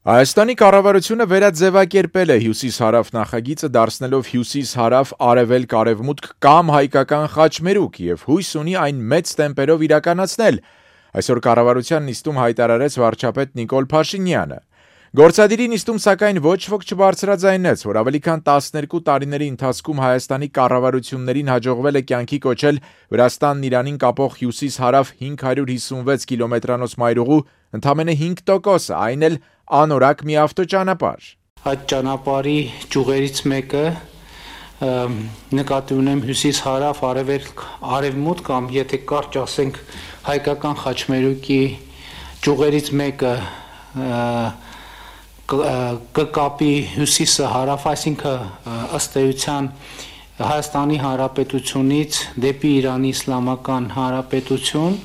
Հայաստանի կառավարությունը վերաձևակերպել է հյուսիս-հարավ նախագիծը դարձնելով հյուսիս-հարավ-արևելք-արևմուտք կամ հայկական խաչմերուկ և հույս ունի այն մեծ տեմպերով իրականացնել, այսօր կառավարության նիստում հայտարարեց վարչապետ Նիկոլ Փաշինյանը։ Գործադիրի նիստում սակայն ոչ ոք չբարձրաձայնեց, որ ավելի քան 12 տարիների ընթացքում Հայաստանի կառավարություններին հաջողվել է կյանքի կոչել Վրաստանն Իրանին կապող հյուսիս-հարավ 556 կիլոմետրանոց մայրուղու ընդամենը 5%-ը, այն էլ անորակ մի ավտոճանապարհ։ Այդ ճանապարհի ճյուղերից մեկը նկատի ունեմ հյուսիս-հարավ, արևելք-արևմուտք կամ եթե կարճ ասենք հայկական խաչմերուկի ճյուղերից մեկը կկապի հյուսիսը հարավ, այսինքն ըստ էության Հայաստանի Հանրապետությունից դեպի Իրանի Իսլամական Հանրապետություն,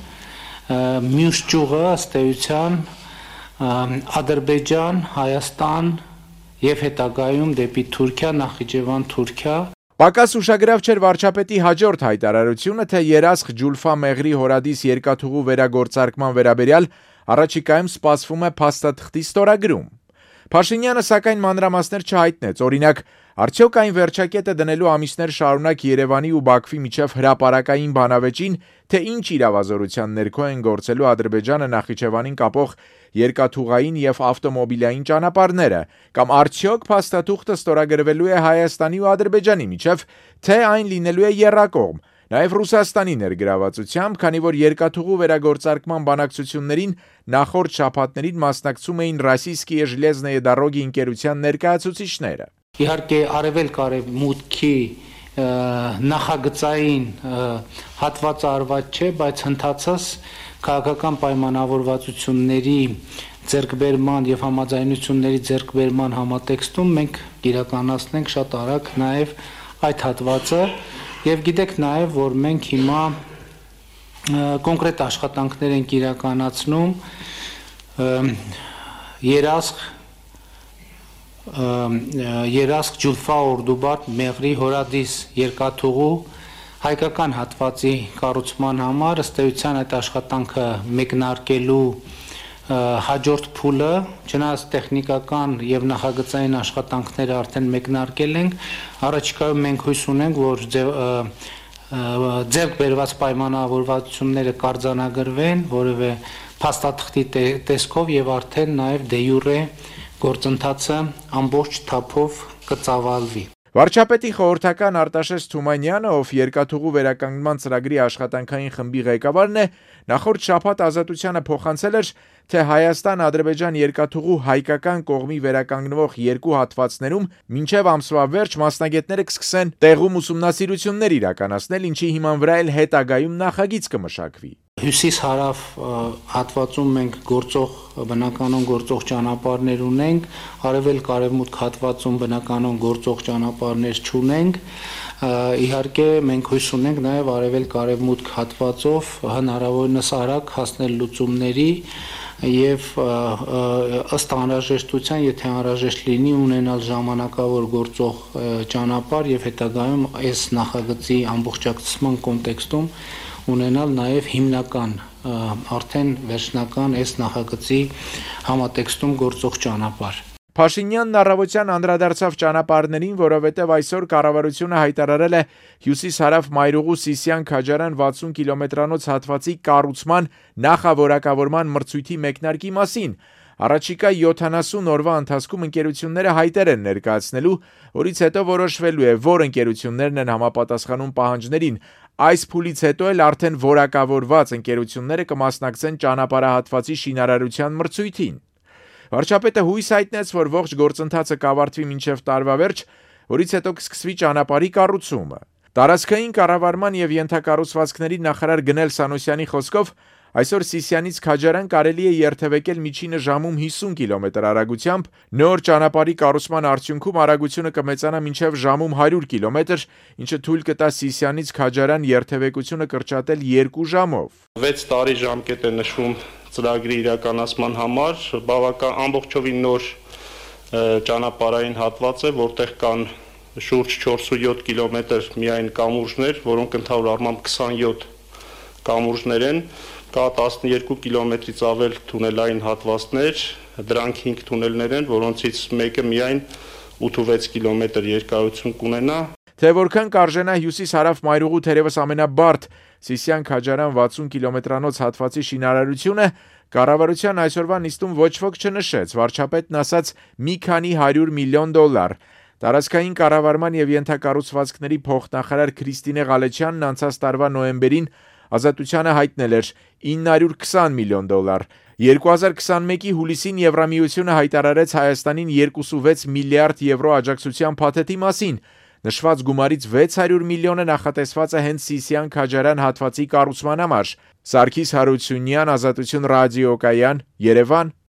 մյուս ճյուղը ըստ էության Ադրբեջան, Հայաստան եւ հետագայում դեպի Թուրքիա, Նախիջևան, Թուրքիա։ Պակաս ուշագրավ չէր վարչապետի հաջորդ հայտարարությունը, թե Երասխ Ջուլֆա Մեղրի հորադիս երկաթուղու վերագործարկման վերաբերյալ առաջիկայում սպասվում է փաստաթղթի ստորագրում։ Փաշինյանը սակայն մանրամասներ չհայտնեց, օրինակ, արդյոք այն վերջակետը դնելու ամիսներ շարունակ Երևանի ու Բաքվի միջև հրապարակային բանավեճին, թե ինչ իրավազորության ներքո են գործելու Ադրբեջանը Նախիջևանին կապող երկաթուղային եւ ավտոմոբիլային ճանապարհները, կամ արդյոք փաստաթուղթը ստորագրվելու է Հայաստանի ու Ադրբեջանի միջև, թե այն լինելու է եռակողմ, նաեւ Ռուսաստանի ներգրավվածությամբ, քանի որ երկաթուղու վերագործարկման բանակցություններին նախորդ շաբաթներին մասնակցում էին Ռոսիյսկիե Ժելեզնոյե Դարոգի ընկերության ներկայացուցիչները։ Իհարկե արևելք-արևմուտքի նախագծային հատվածը արված չէ, բայց հնդածս քաղաքական պայմանավորվածությունների ձեռքբերման եւ համաձայնությունների ձեռքբերման համատեքստում մենք իրականացնենք շատ արագ նաեւ այդ հատվածը եւ գիտեք նաեւ որ մենք հիմա կոնկրետ աշխատանքներ ենք իրականացնում Երասխ Ջուլֆա Օրդուբար Մեղրի հորադիս երկաթուղու հայկական հատվածի կառուցման համար ըստ էության այդ աշխատանքը մեկնարկելու հաջորդ փուլը, չնայած տեխնիկական եւ նախագծային աշխատանքները արդեն մեկնարկել ենք, առաջիկայում մենք հույս ունենք, որ ձեռք բերված պայմանավորվածությունները կարձանագրվեն որևէ փաստաթղթի տեսքով եւ արդեն նաեւ դե յուրե գործընթացը ամբողջ թափով կծավալվի։ Վարչապետի խորհրդական Արտաշես Թումանյանը, ով երկաթուղու վերականգնման ծրագրի աշխատանքային խմբի ղեկավարն է, նախորդ շաբաթ Ազատությանը փոխանցել էր, թե Հայաստան-Ադրբեջան երկաթուղու հայկական կողմի վերականգնվող երկու հատվածներում մինչև ամսվա վերջ մասնագետները կսկսեն տեղում ուսումնասիրություններ իրականացնել, ինչի հիման վրա էլ հետագայում նախագիծ կմշակվի։ Հյուսիս-հարավ հատվածում մենք բնականon գործող ճանապարհներ ունենք, արևելք-արևմուտք հատվածում բնականon գործող ճանապարհներ չունենք։ Իհարկե մենք հույս ունենք նաև արևելք-արևմուտք հատվածով հնարավորինս արագ հասնել լուծումների եւ ըստ անհրաժեշտության, եթե անհրաժեշտ լինի, ունենալ ժամանակավոր գործող ճանապարհ եւ հետագայում այս նախագծի ամբողջակցման կոնտեքստում ունենալ նաև հիմնական արդեն վերջնական այս նախագծի համատեքստում գործող ճանապարհ։ Փաշինյանն առավոտյան անդրադարձավ ճանապարհներին, որովհետև այսօր կառավարությունը հայտարարել է հյուսիս-հարավ մայրուղու Սիսիան-Քաջարան 60 կիլոմետրանոց հատվածի կառուցման նախավորակավորման մրցույթի մեկնարկի մասին։ Առաջիկա 70 օրվա ընթացքում ընկերությունները հայտեր են ներկայացնելու, որից հետո որոշվելու է, որ ընկերություններն են համապատասխանում պահանջներին։ Այս փուլից հետո էլ արդեն որակավորված ընկերությունները կմասնակցեն ճանապարհահատվածի շինարարության մրցույթին։ Վարչապետը հույս հայտնեց, որ ողջ գործընթացը կավարտվի մինչև տարվա վերջ, որից հետո կսկսվի ճանապարհի կառուցումը։ Տարածքային կառավարման եւ ենթակառուցվածքների նախարար Գնել Սանոսյանի խոսքով այսօր Սիսիանից Քաջարան կարելի է երթևեկել միջինը ժամում 50 կիլոմետր արագությամբ, նոր ճանապարհի կառուցման արդյունքում արագությունը կմեծանա մինչև ժամում 100 կիլոմետր, ինչը թույլ կտա Սիսիանից Քաջարան երթևեկությունը կրճատել 2 ժամով։ 6 տարի ժամկետ է նշվում ծրագրի իրականացման համար, բավական ամբողջովին նոր ճանապարհային հատված է, որտեղ կան շուրջ 407 կիլոմետր միայն կամուրջներ, որոնք ընդհանուր առմամբ 27 կամուրջներ են, Կա 12 կիլոմետրից ավել թունելային հատվածներ, դրանք 5 թունելներ են, որոնցից մեկը միայն 8-6 կիլոմետր երկարություն կունենա։ Թե որքան կարժենա հյուսիս-հարավ մայրուղու թերևս ամենաբարդ Սիսիան-Քաջարյան 60 կիլոմետրանոց հատվածի շինարարությունը կառավարության այսօրվա նիստում ոչ ոք չնշեց, վարչապետն ասաց մի քանի 100 միլիոն դոլար։ Տարածքային կառավարման եւ ենթակառուցվածքների փոխնախարար Քրիստինե Ղալեչյանն անցած տարվա նոյեմբերին Ազատությանը հայտնել էր 920 միլիոն դոլար։ 2021-ի հուլիսին Եվրամիությունը հայտարարեց Հայաստանին 26 միլիարդ եվրո աջակցության փաթեթի մասին։ Նշված գումարից 600 միլիոնը նախատեսված է հենց Սիսիան-Քաջարյան հատվածի կառուցման համար։ Սարգիս Հարությունյան, Ազատություն ռադիոկայան, Երևան։